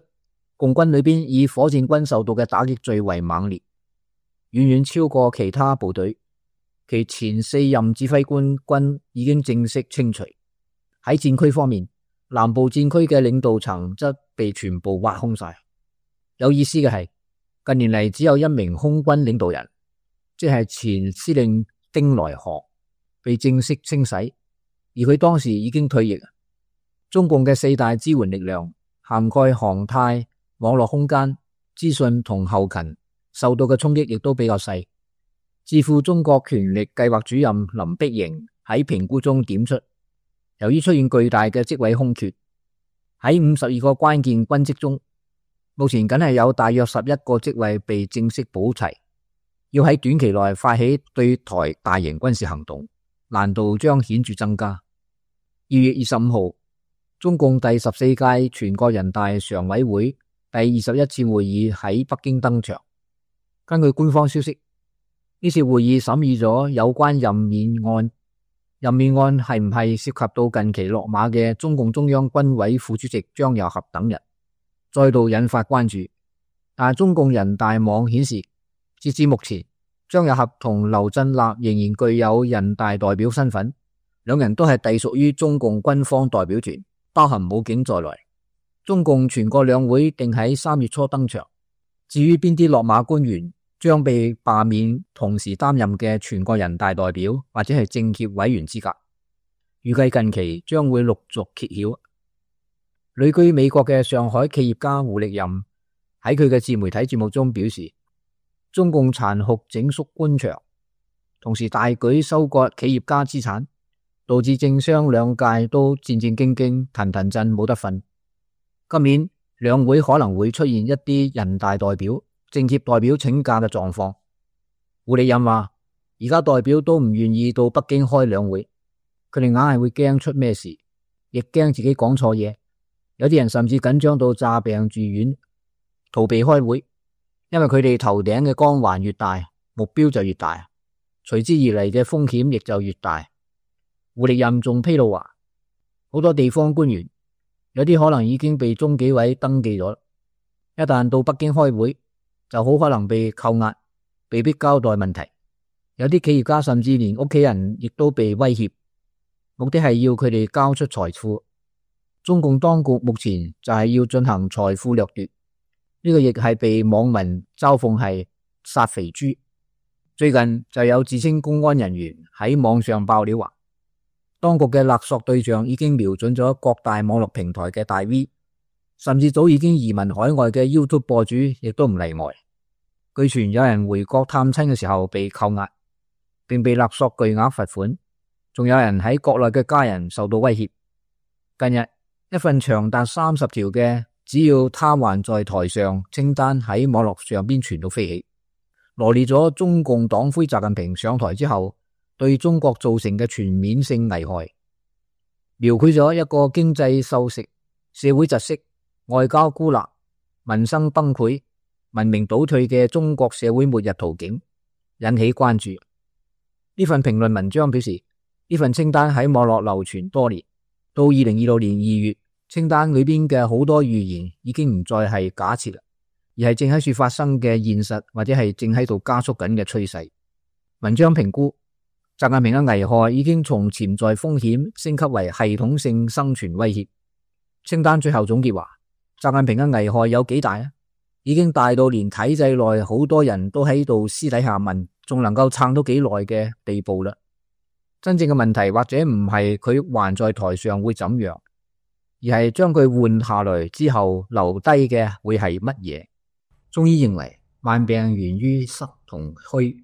共軍裏邊以火箭軍受到嘅打擊最為猛烈，遠遠超過其他部隊。其前4任指揮官軍已經正式清除。喺戰區方面，南部戰區嘅領導層則被全部挖空晒。有意思嘅係，近年嚟只有一名空軍領導人，即係前司令丁來河被正式清洗，而佢當時已經退役。中共嘅4大支援力量涵蓋航太、網絡空間、資訊同後勤，受到嘅衝擊亦都比較細。智庫中國權力計劃主任林碧瑩喺評估中點出，由於出現巨大嘅職位空缺，喺52個關鍵軍職中，目前僅係有大約11個職位被正式補齊，要喺短期內發起對台大型軍事行動，難度將顯著增加。2月25號，中共第14屆全國人大常委會第21次會議喺北京登場。根據官方消息，呢次會議審議咗有關任免案。任免案係唔係涉及到近期落馬嘅中共中央軍委副主席張又俠等人，再度引發關注。但中共人大網顯示，截至目前，張又俠同劉振立仍然具有人大代表身份，兩人都係隸屬於中共軍方代表團，包含武警在內。中共全國兩會定喺3月初登場。至於邊啲落馬官員將被罷免同時擔任嘅全國人大代表或者係政協委員資格，預計近期將會陸續揭曉。旅居美國嘅上海企業家胡力任喺佢嘅自媒體節目中表示，中共殘酷整肅官場，同時大舉收割企業家資產，導致政商兩界都戰戰兢兢、騰騰震冇得瞓。今年兩會可能會出現一啲人大代表、政協代表請假嘅狀況。胡力任話，而家代表都唔願意到北京開兩會，佢哋硬係會驚出咩事，亦驚自己講錯嘢。有啲人甚至緊張到詐病住院，逃避開會，因為佢哋頭頂嘅光環越大，目標就越大，隨之而嚟嘅風險亦就越大。胡力任仲披露話，好多地方官員有啲可能已經被中紀委登記咗，一旦到北京開會，就好可能被扣押，被迫交代問題。有啲企業家甚至連屋企人亦都被威脅，目的係要佢哋交出財富。中共當局目前就係要進行財富掠奪，呢個亦係被網民嘲諷係殺肥豬。最近就有自稱公安人員喺網上爆料話，當局嘅勒索對象已經瞄準咗各大網絡平台嘅大 V， 甚至早已經移民海外嘅 YouTube 博主亦都唔例外。據傳有人回國探親嘅時候被扣押，並被勒索巨額罰款，仲有人喺國內嘅家人受到威脅。近日，一份長達30條嘅只要他還在台上，清單喺網絡上邊傳到飛起，羅列咗中共黨魁習近平上台之後對中國造成嘅全面性危害，描繪咗一個經濟收縮、社會窒息、外交孤立、民生崩潰、文明倒退嘅中國社會末日圖景，引起關注。呢份評論文章表示，呢份清單喺網絡流傳多年，到2026年2月，清單裏邊嘅好多預言已經唔再係假設啦，而係正喺處發生嘅現實，或者係正喺度加速緊嘅趨勢。文章評估，習近平嘅危害已經從潛在風險升級為系統性生存威脅。清單最後總結話，習近平嘅危害有幾大啊？已經大到連體制內好多人都喺度私底下問，仲能夠撐到幾耐嘅地步啦。真正嘅問題或者唔係佢還在台上會怎樣，而係將佢換下來之後留低嘅會係乜嘢。中醫認為萬病源於濕同虛，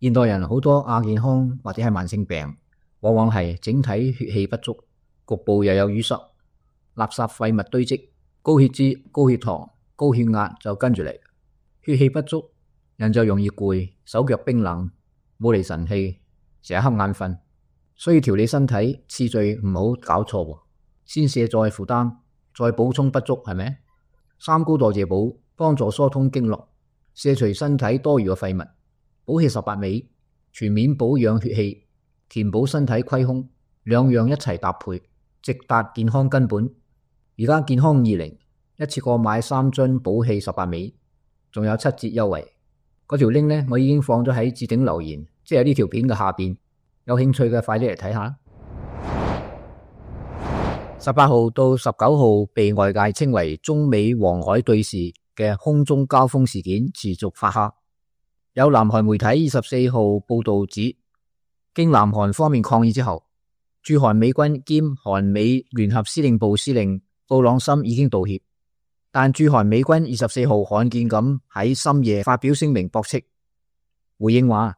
現代人好多亞健康或者係慢性病，往往係整體血氣不足，局部又有淤塞，垃圾廢物堆積，高血脂、高血糖、高血壓就跟住嚟。血氣不足，人就容易攰，手腳冰冷，冇嚟神氣，成日瞌眼瞓。所以調理身體次序唔好搞錯，先卸載負擔，再補充不足，係咪？三高代謝補幫助疏通經絡，卸除身體多餘嘅廢物，補氣18味，全面保養血氣，填補身體虧空，兩樣一齊搭配，直達健康根本。而家健康20一次過買3樽補氣18味，仲有7折優惠。嗰條 link 呢，我已經放咗喺置頂留言，即係呢條片嘅下邊，有興趣嘅快啲嚟睇下。18號到19號被外界稱為中美黃海對峙嘅空中交鋒事件持續發酵。有南韓媒體24號報道指，經南韓方面抗議之後，駐韓美軍兼韓美聯合司令部司令布朗森已經道歉。但駐韓美軍24號罕見咁喺深夜發表聲明駁斥，回應話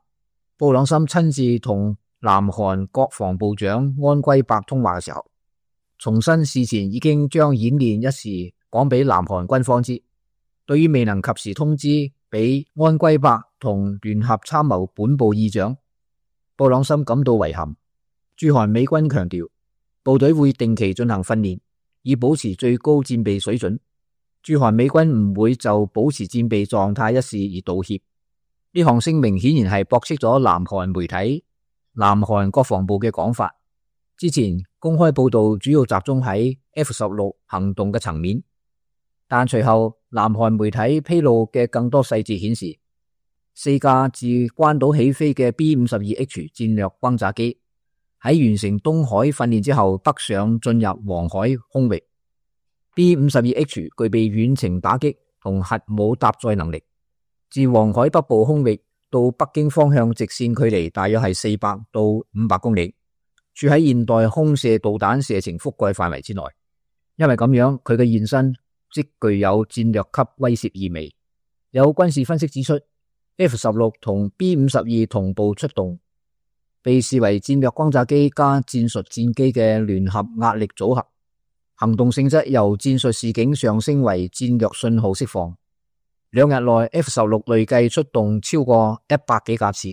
布朗森親自同南韓國防部長安圭伯通話嘅時候，重申事前已經將演練一事講俾南韓軍方知。對於未能及時通知俾安圭伯同聯合參謀本部議長，布朗森感到遺憾。駐韓美軍強調，部隊會定期進行訓練，以保持最高戰備水準。駐韓美軍唔會就保持戰備狀態一事而道歉。呢項聲明顯然係駁斥咗南韓媒體、南韓國防部嘅講法。之前公開報道主要集中喺 F-16 行動嘅層面，但隨後南韓媒體披露嘅更多細節顯示，4架自關島起飛嘅 B-52H 戰略轟炸機喺完成東海訓練之後北上進入黃海空域。B-52H 具備遠程打擊同核武搭載能力，自黃海北部空域到北京方向直線距離大約係400到500公里，處喺現代空射導彈射程覆蓋範圍之內。因為咁樣，佢嘅現身即具有戰略級威懾意味。有軍事分析指出， F-16 同 B-52 同步出動，被視為戰略轟炸機加戰術戰機嘅聯合壓力組合。行動性質由戰術示警上升為戰略信號釋放。2日內 F-16 累計出動超過100幾架次，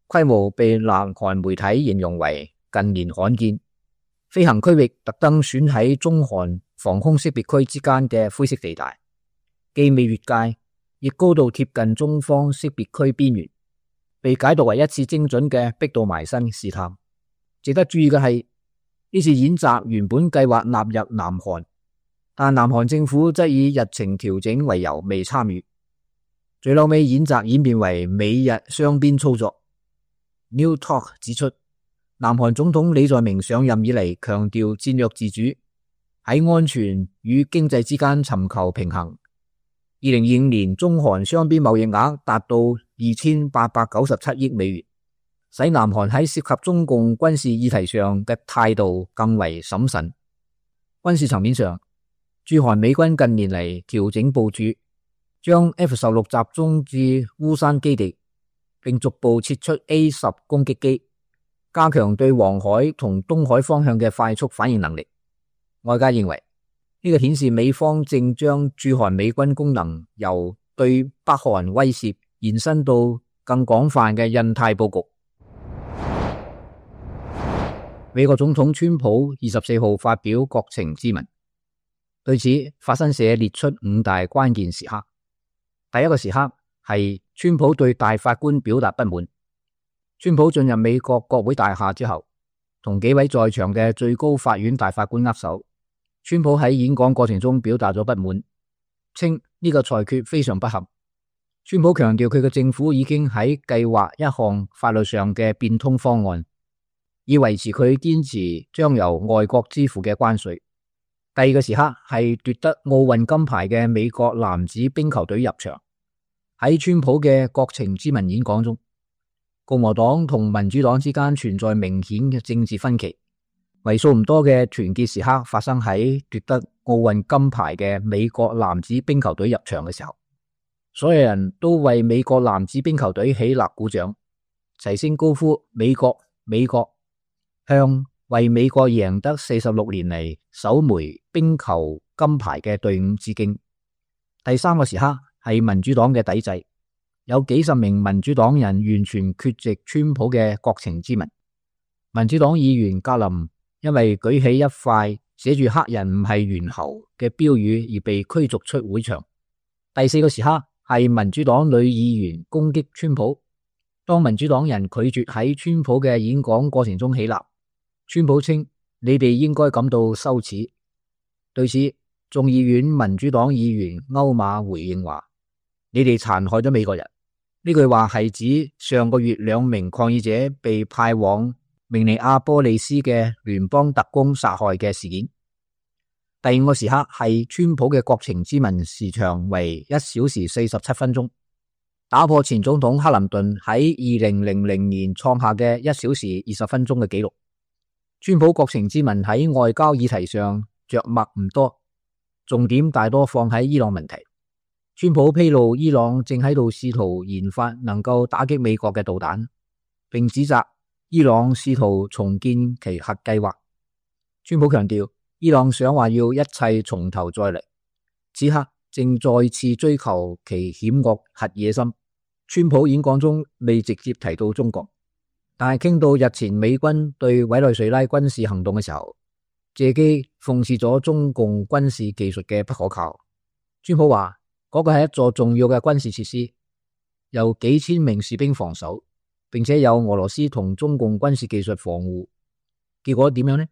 規模被南韓媒體形容為近年罕見。飛行區域特登選喺中韓防空識別區之間嘅灰色地帶，既未越界，亦高度貼近中方識別區邊緣，被解讀為一次精準嘅逼到埋身試探。值得注意嘅係，呢次演習原本計劃納入南韓，但南韓政府則以日程調整為由未參與。最後尾演習演變為美日雙邊操作。New Talk 指出，南韓總統李在明上任以嚟強調戰略自主，喺安全與經濟之間尋求平衡。2025年中韓雙邊貿易額達到2897億美元。使南韓喺涉及中共軍事議題上嘅態度更為審慎。軍事層面上，駐韓美軍近年嚟調整部署，將 F-16 集中至烏山基地，並逐步撤出 A-10 攻擊機，加強對黃海同東海方向嘅快速反應能力。外界認為呢個顯示美方正將駐韓美軍功能由對北韓威懾延伸到更廣泛嘅印太佈局。美國總統川普24號發表國情咨文，對此法新社列出5大關鍵時刻。第一個時刻係川普對大法官表達不滿。川普進入美國國會大廈之後，同幾位在場嘅最高法院大法官握手。川普喺演講過程中表達咗不滿，稱呢個裁決非常不合。川普強調佢嘅政府已經喺計劃一項法律上嘅變通方案，以維持佢堅持將由外國支付嘅關稅。第二個時刻係奪得奧運金牌嘅美國男子冰球隊入場。喺川普嘅國情咨文演講中，共和黨同民主黨之間存在明顯嘅政治分歧，為數唔多嘅團結時刻發生喺奪得奧運金牌嘅美國男子冰球隊入場嘅時候，所有人都為美國男子冰球隊起立鼓掌，齊聲高呼美國美國，向為美國贏得46年嚟首枚冰球金牌嘅隊伍致敬。第三個時刻係民主黨嘅抵制，有幾十名民主黨人完全缺席川普嘅國情咨文。民主黨議員格林因為舉起一塊寫住黑人唔係猿猴嘅標語而被驅逐出會場。第四個時刻係民主黨女議員攻擊川普，當民主黨人拒絕喺川普嘅演講過程中起立，川普稱你哋應該感到羞恥。對此，眾議院民主黨議員歐馬回應話，你哋殘害咗美國人。呢句話係指上個月2名抗議者被派往明尼阿波利斯嘅聯邦特工殺害嘅事件。第5個時刻係川普嘅國情咨文，時長為1小時47分鐘，打破前總統克林頓喺2000年創下嘅1小時20分鐘嘅紀錄。川普國情咨文喺外交議題上着墨唔多，重點大多放喺伊朗問題。川普披露伊朗正喺度試圖研發能夠打擊美國嘅導彈，並指責伊朗試圖重建其核計劃。川普強調，伊朗想話要一切從頭再嚟，此刻正再次追求其險惡核野心。川普演講中未直接提到中國，但係傾到日前美軍對委內瑞拉軍事行動嘅時候，借機諷刺咗中共軍事技術嘅不可靠。川普話嗰個係一座重要嘅軍事設施，由幾千名士兵防守，並且有俄羅斯同中共軍事技術防護。結果點樣呢？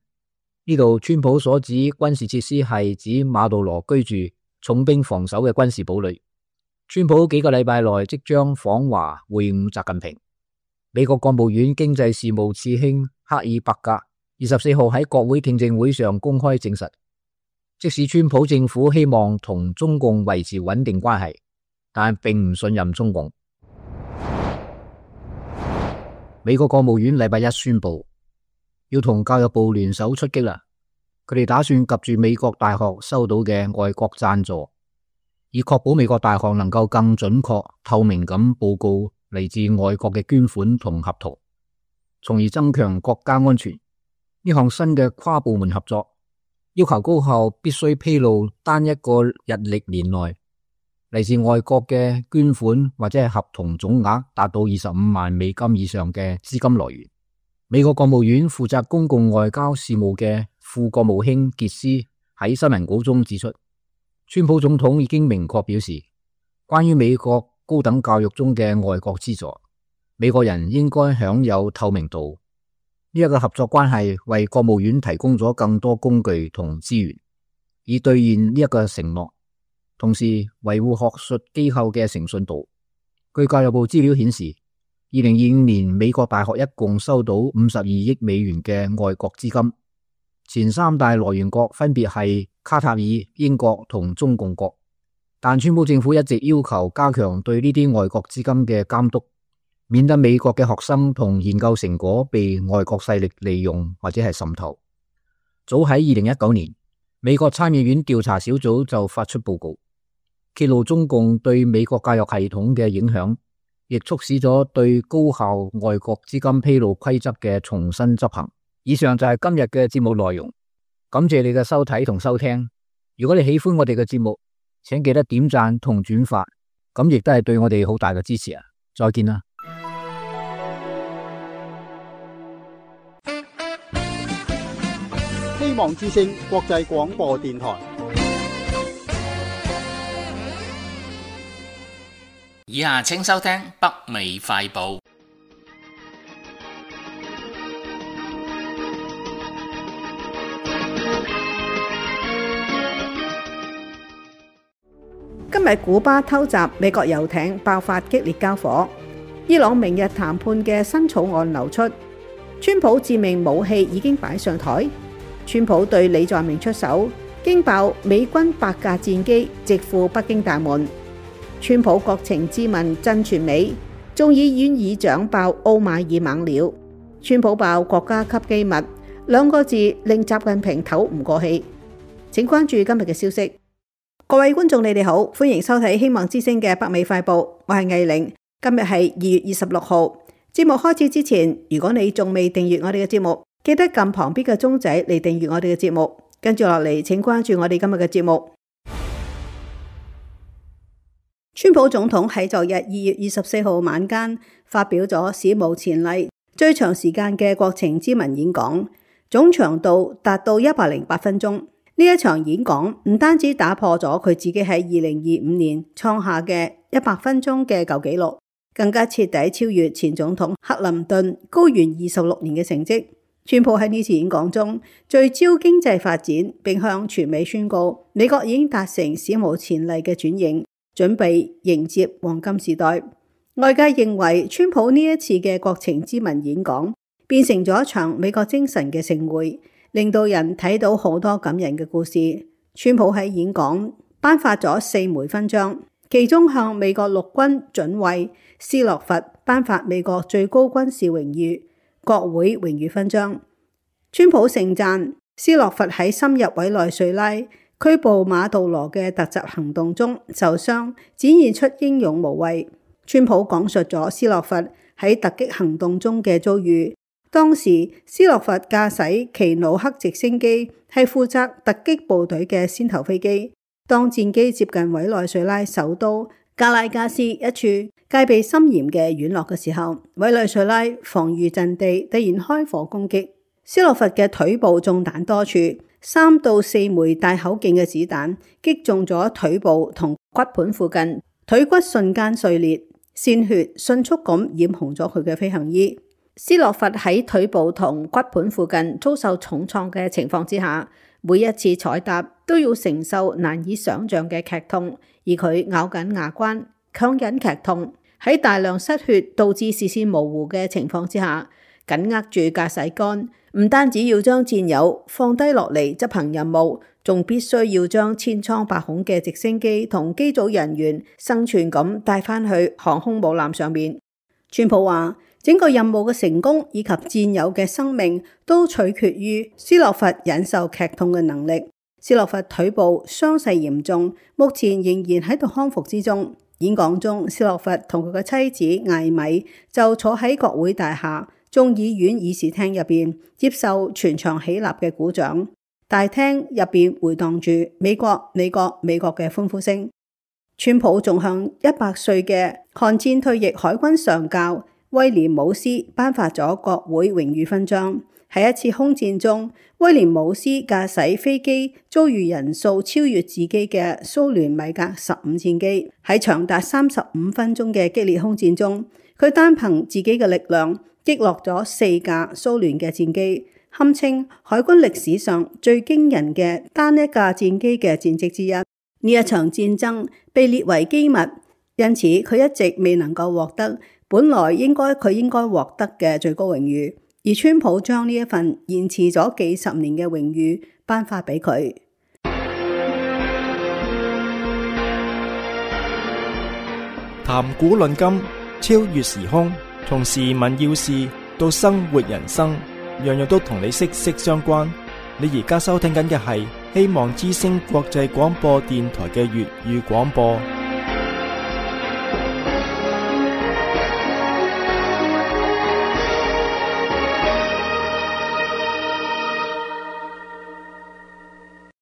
呢度川普所指軍事設施係指馬杜羅居住、重兵防守嘅軍事堡壘。川普幾個禮拜內即將訪華會晤習近平。美國國務院經濟事務次卿克爾伯格24號喺國會聽證會上公開證實，即使川普政府希望同中共維持穩定關係，但並唔信任中共。美國國務院禮拜一宣布要同教育部聯手出擊啦，佢哋打算及住美國大學收到嘅外國贊助，以確保美國大學能夠更準確、透明咁報告嚟自外國嘅捐款同合同，從而增強國家安全。呢項新嘅跨部門合作要求高校必須披露單一個日曆年內嚟自外國嘅捐款或者係合同總額達到25萬美金以上嘅資金來源。美國國務院負責公共外交事務嘅副國務卿傑斯喺新聞稿中指出，川普總統已經明確表示，關於美國高等教育中嘅外國資助，美國人應該享有透明度。呢一個合作關係為國務院提供咗更多工具同資源，以兌現呢一個承諾，同時維護學術機構嘅誠信度。據教育部資料顯示，2025年美國大學一共收到52億美元嘅外國資金，前3大來源國分別係卡塔爾、英國同中共國。但川普政府一直要求加強對呢啲外國資金嘅監督，免得美國嘅學生同研究成果被外國勢力利用或者係滲透。早喺2019年，美國參議院調查小組就發出報告，揭露中共對美國教育系統嘅影響，亦促使咗對高校外國資金披露規則嘅重新執行。以上就係今日嘅節目內容，感謝你嘅收睇同收聽，如果你喜歡我哋嘅節目，請記得點讚同轉發，咁亦都係對我哋好大嘅支持啊！再見啦！希望之聲國際廣播電台。以下請收聽北美快報。今日古巴偷襲美國遊艇，爆發激烈交火。伊朗明日談判嘅新草案流出。川普致命武器已經擺上台。川普對李在明出手，驚爆美軍8架戰機直赴北京大門。川普國情咨文震全美，眾議院議長爆奧馬爾猛料。川普爆國家級機密，2個字令習近平唞唔過氣。請關注今日嘅消息。各位觀眾，你哋好，歡迎收睇希望之聲嘅北美快報，我係藝玲。今日係2月26號。節目開始之前，如果你仲未訂閱我哋嘅節目，記得撳旁邊嘅鐘仔嚟訂閱我哋嘅節目。跟住落嚟，請關注我哋今日嘅節目。川普總統喺昨日2月24號晚間發表咗史無前例最長時間嘅國情咨文演講，總長度達到108分鐘。呢一場演講唔單止打破咗佢自己喺2025年創下嘅100分鐘嘅舊紀錄，更加徹底超越前總統克林頓高懸26年嘅成績。川普喺呢次演講中聚焦經濟發展，並向全美宣告美國已經達成史無前例嘅轉型，準備迎接黃金時代。外界認為川普呢一次嘅國情咨文演講變成咗一場美國精神嘅盛會，令到人睇到好多感人嘅故事。川普喺演講頒發咗4枚勳章，其中向美國陸軍准尉斯諾弗頒發美國最高軍事榮譽國會榮譽勳章。川普盛讚斯諾弗喺深入委內瑞拉拘捕馬杜羅嘅突襲行動中受傷，展現出英勇無畏。川普講述咗斯諾弗喺突擊行動中嘅遭遇。當時斯諾弗駕駛奇努克直升機，係負責突擊部隊嘅先頭飛機。當戰機接近委內瑞拉首都加拉加斯一處戒備森嚴嘅院落嘅時候，委內瑞拉防禦陣地突然開火攻擊，斯諾弗嘅腿部中彈多處，3到4枚大口徑嘅子彈擊中咗腿部同骨盤附近，腿骨瞬間碎裂，鮮血迅速咁染紅咗佢嘅飛行衣。斯諾弗喺腿部同骨盤附近遭受重創嘅情況之下，每一次踩踏都要承受難以想象嘅劇痛，而佢咬緊牙關，強忍劇痛，喺大量失血導致視線模糊嘅情況之下，緊握住駕駛桿，唔單止要將戰友放低落嚟執行任務，仲必須要將千瘡百孔嘅直升機同機組人員生存咁帶返去航空母艦上面。川普話，整個任務嘅成功以及戰友嘅生命都取決於斯諾弗忍受劇痛嘅能力。斯諾弗腿部傷勢嚴重，目前仍然喺度康復之中。演講中，斯諾弗同佢嘅妻子艾米就坐喺國會大廈眾議院議事廳入邊，接受全場起立嘅鼓掌。大廳入邊回盪住美國美國美國嘅歡呼聲。川普仲向100歲嘅韓戰退役海軍上校威廉姆斯頒發咗國會榮譽勳章。喺一次空戰中，威廉姆斯駕駛飛機遭遇人數超越自己嘅蘇聯米格15戰機。喺長達35分鐘嘅激烈空戰中，佢單憑自己嘅力量擊落咗4架蘇聯嘅戰機，堪稱海軍歷史上最驚人嘅單一架戰機嘅戰績之一。呢一場戰爭被列為機密，因此佢一直未能夠獲得本來佢應該獲得嘅最高榮譽，而川普將呢一份延遲咗幾十年嘅榮譽頒發俾佢。談古論今，超越時空，從時聞要事到生活人生，樣樣都同你息息相關。你而家收聽緊嘅係希望之聲國際廣播電台嘅粵語廣播。